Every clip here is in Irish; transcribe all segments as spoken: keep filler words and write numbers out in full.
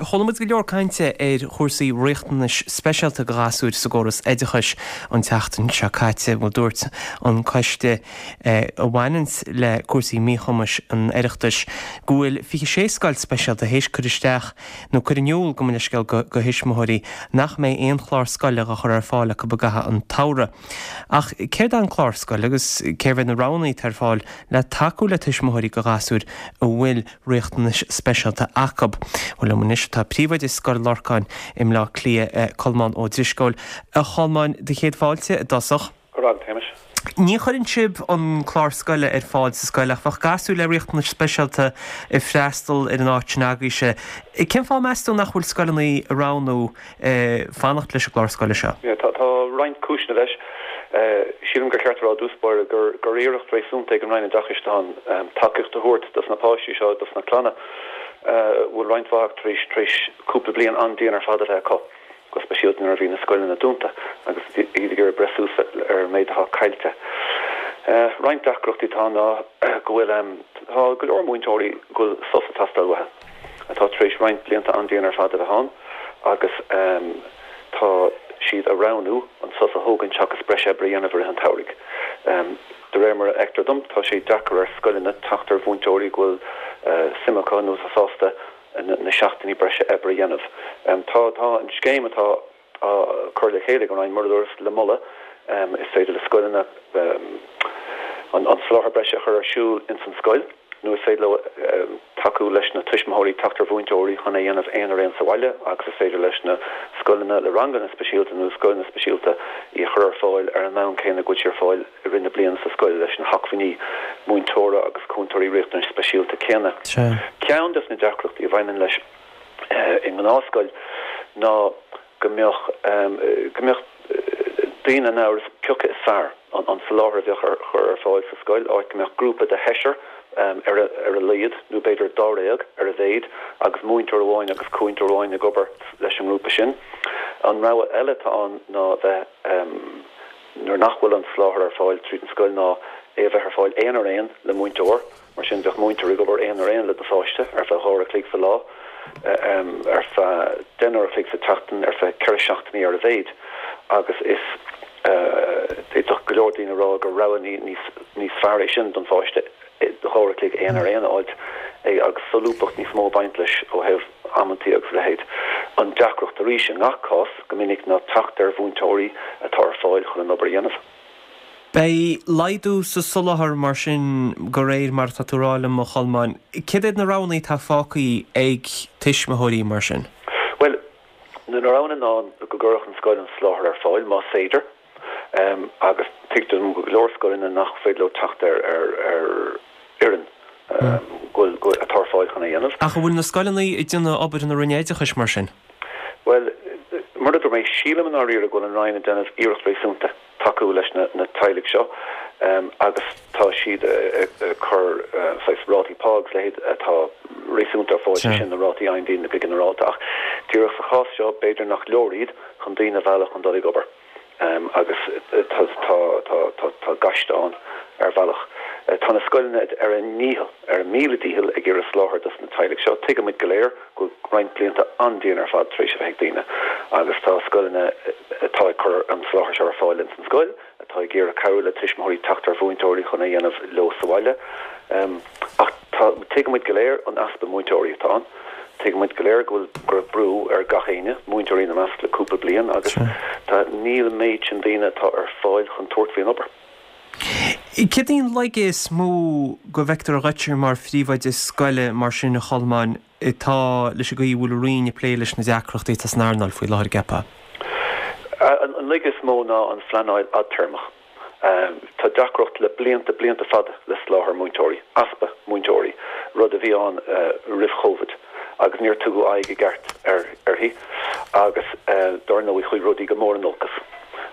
Chuala muid go leor cainte ar chúrsaí riachtanais speisialta do ghasúir sa gcóras oideachais an tseachtain seo caite. Bhuel dúirt an coiste a bhaineanns le cúrsaí míchumais an Oireachtais go bhfuil fiche sé scoil speisialta théis cur isteach nó cur in iúl gabh mo leithscéal do thuismitheoirí nach mbeidh aon chlár scoile á chur ar fáil acu i gcaitheamh an tsamhraidh. Ach céard é an clár scoile agus céard iad na roghanna atá ar fáil le tacú le tuismitheoirí do ghasúir a bhfuil riachtanais speisialta acu. Bhuel liom anois tá príomhoide Scoil Lorcáin i mBleá Cliath, Colmán Ó Drisceoil. A Cholmáin, do chéad fáilte i dtosach. Go raibh maith agat, a Shéamais. Ní chuireann sibh an clár scoile ar fáil sa scoil ach bheadh gasúir le riachtanais speisialta ag freastal ar an áit sin agaibhse. Cén fáth meas tú nach bhfuil scoileanna ag roghnú fanacht leis an gclár scoile seo? Tá roinnt cúiseanna leis. Sílim gur cheart a rá i dtús báire gur gur iarracht réasúnta ag an Roinn Oideachais atá ann tacaíocht a thabhairt dos na páistí seo, dos na clanna a bhfuil roinnt mhaith acu tar éis tar éis cúpla bliain an-dian ar fad a bheith acu, go speisialta nuair a bhí na scoileanna dúnta agus iad ag iarraidh breith suas ar an méid atá caillte. Roinnt deacrachtaí atá ann ná go bhfuil tá go leor múinteoirí go bhfuil sos ag teastáil uathu, atá tar éis roinnt blianta an-dian ar fad a bheith ann agus tá siad ag roghnú an sos a thógaint seachas breis oibre a dhéanamh i rith an tsamhraidh. De réir mar a fheictear dom, tá sé deacair ar scoileanna teacht ar mhúinteoirí go bhfuil suim acu nó atá sásta na seachtainí breise oibre a dhéanamh. Tá tá an scéim atá á cur le chéile ag an Roinn, mar a dúras, le moladh. Is féidir le scoileanna an soláthar breise a chur ar siúl ins an scoil nó is féidir leo tacú leis na tuismitheoirí teacht ar mhúinteoirí chun é a dhéanamh aon ar aon sa bhaile agus is féidir leis na scoileanna le ranganna speisialta nó scoileanna speisialta í a chur ar fáil ar an mbonn céanna go bhfuil sí ar fáil i rith na bliana sa scoil leis na hacmhainní múinteora agus cúntóirí riachtanais speisialta céanna. Ceann des na deacrachtaí a bhaineann leis i ngnáthscoil ná go mbeadh go mbeadh daoine in amhras cé acu is fearr an soláthar a bheadh ar chur ar fáil sa scoil, áit go mbeadh grúpa de sheisear ar ar a laghad, nó b'fhéidir dáréag ar a mhéid, agus múinteoir amháin agus cúntóir amháin ag obair leis an ngrúpa sin. An rogha eile atá ann ná bheith, nuair nach bhfuil an soláthar ar fáil tríd an scoil, ná é a bheith ar fáil aon ar aon le múinteoir. Mar sin, bheadh múinteoir ag obair aon ar aon le do pháiste ar feadh dhá uair a chloig sa lá, ar feadh deich n-uair a chloig sa tseachtain, ar feadh ceithre seachtainí ar a mhéid, agus is d'fhéadfadh go leor daoine a rá gur rogha níos fearr é sin don pháiste dhá uair a chloig aon ar aon a fháilt agus solúbthacht níos mó ag baint leis ó thaobh amantaí agus a leithéid. An deacracht arís i ngach cás go minic ná teacht ar mhúinteoirí atá ar fáil chun an obair a dhéanamh. Beidh laghdú sa soláthar mar sin de réir mar atá tú a rá liom, a Cholmáin. Céard iad na roghanna atá fágtha ag tuismitheoirí mar sin? Bhuel, na roghanna ná go gcuirfeadh an scoil an soláthar ar fáil, más féidir, agus tuigtear dom go leor scoileanna nach féidir leo teacht ar fhoireann go bhfuil atá ar fáil chun é a dhéanamh. Ach an bhfuil na scoileanna ag déanamh obair na Roinne Oideachais mar sin? Bhuel, mar a dúirt mé, sílim i ndáiríre go bhfuil an Roinn ag déanamh iarracht réasúnta. tacú leis na teaghlaigh seo agus tá siad ag cur saghas rátaí pá agus leithéid atá réasúnta ar fáil, sé sin na rátaí a fhaigheann daoine go ginearálta ach díreach sa chás seo b'fhéidir nach leor iad chun daoine a mhealladh chun dul ag obair agus tá gaiste ann ar bhealach. Tá na scoileanna ar a ndícheall, ar a míle dícheall ag iarraidh soláthar dos na teaghlaigh seo. Tuigimid go léir go bhfuil roinnt blianta an-dian ar fad tar éis a bheith ag daoine agus tá scoileanna atá ag cur an soláthar seo ar fáil ins an scoil, atá ag iarraidh cabhrú le tuismitheoirí teacht ar mhúinteoirí chun é a dhéanamh leo sa bhaile. Ach tá, tuigimid go léir an easpa múinteoirí atá ann. Tuigimid go léir go bhfuil, go raibh brú ar gach éinne, múinteoirí ina measc, le cúpla bliain agus tá, níl an méid sin daoine atá ar fáil chun tabhairt faoin obair. Céard í an laige is mó go bhfeictear dhuit mar phríomhoide scoile mar sin, a Cholmáin, atá leis an gcaoi a bhfuil an Roinn ag plé leis na deacrachtaí atá san earnáil faoi láthair, an gceapfá? An laige is mó ná an phleanáil fhadtéarmach. Tá deacracht le blianta, blianta fada le soláthar múinteoirí, easpa múinteoirí, rud a bhí ann roimh Chovid agus níor tugadh aghaidh i gceart uirthi agus dar ndóigh chuaigh rudaí go mór in olcas.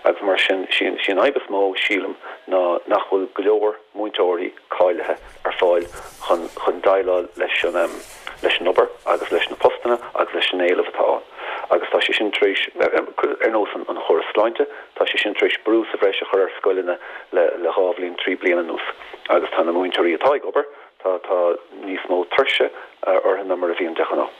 Agus mar sin, sí an fhadhb is mó, sílim, ná nach bhfuil go leor múinteoirí cáilithe ar fáil chun chun déileáil leis an leis an obair agus leis na postanna agus leis an éileamh atá ann. Agus tá sé sin tar éis, ar nós an chóras sláinte, tá sé sin tar éis brú sa bhreis a chur ar scoileanna le le dhá bhliain, trí bliana anuas. Agus tá na múinteoirí atá ag obair, tá tá níos mó tuirse orthu ná mar a bhíonn de ghnáth.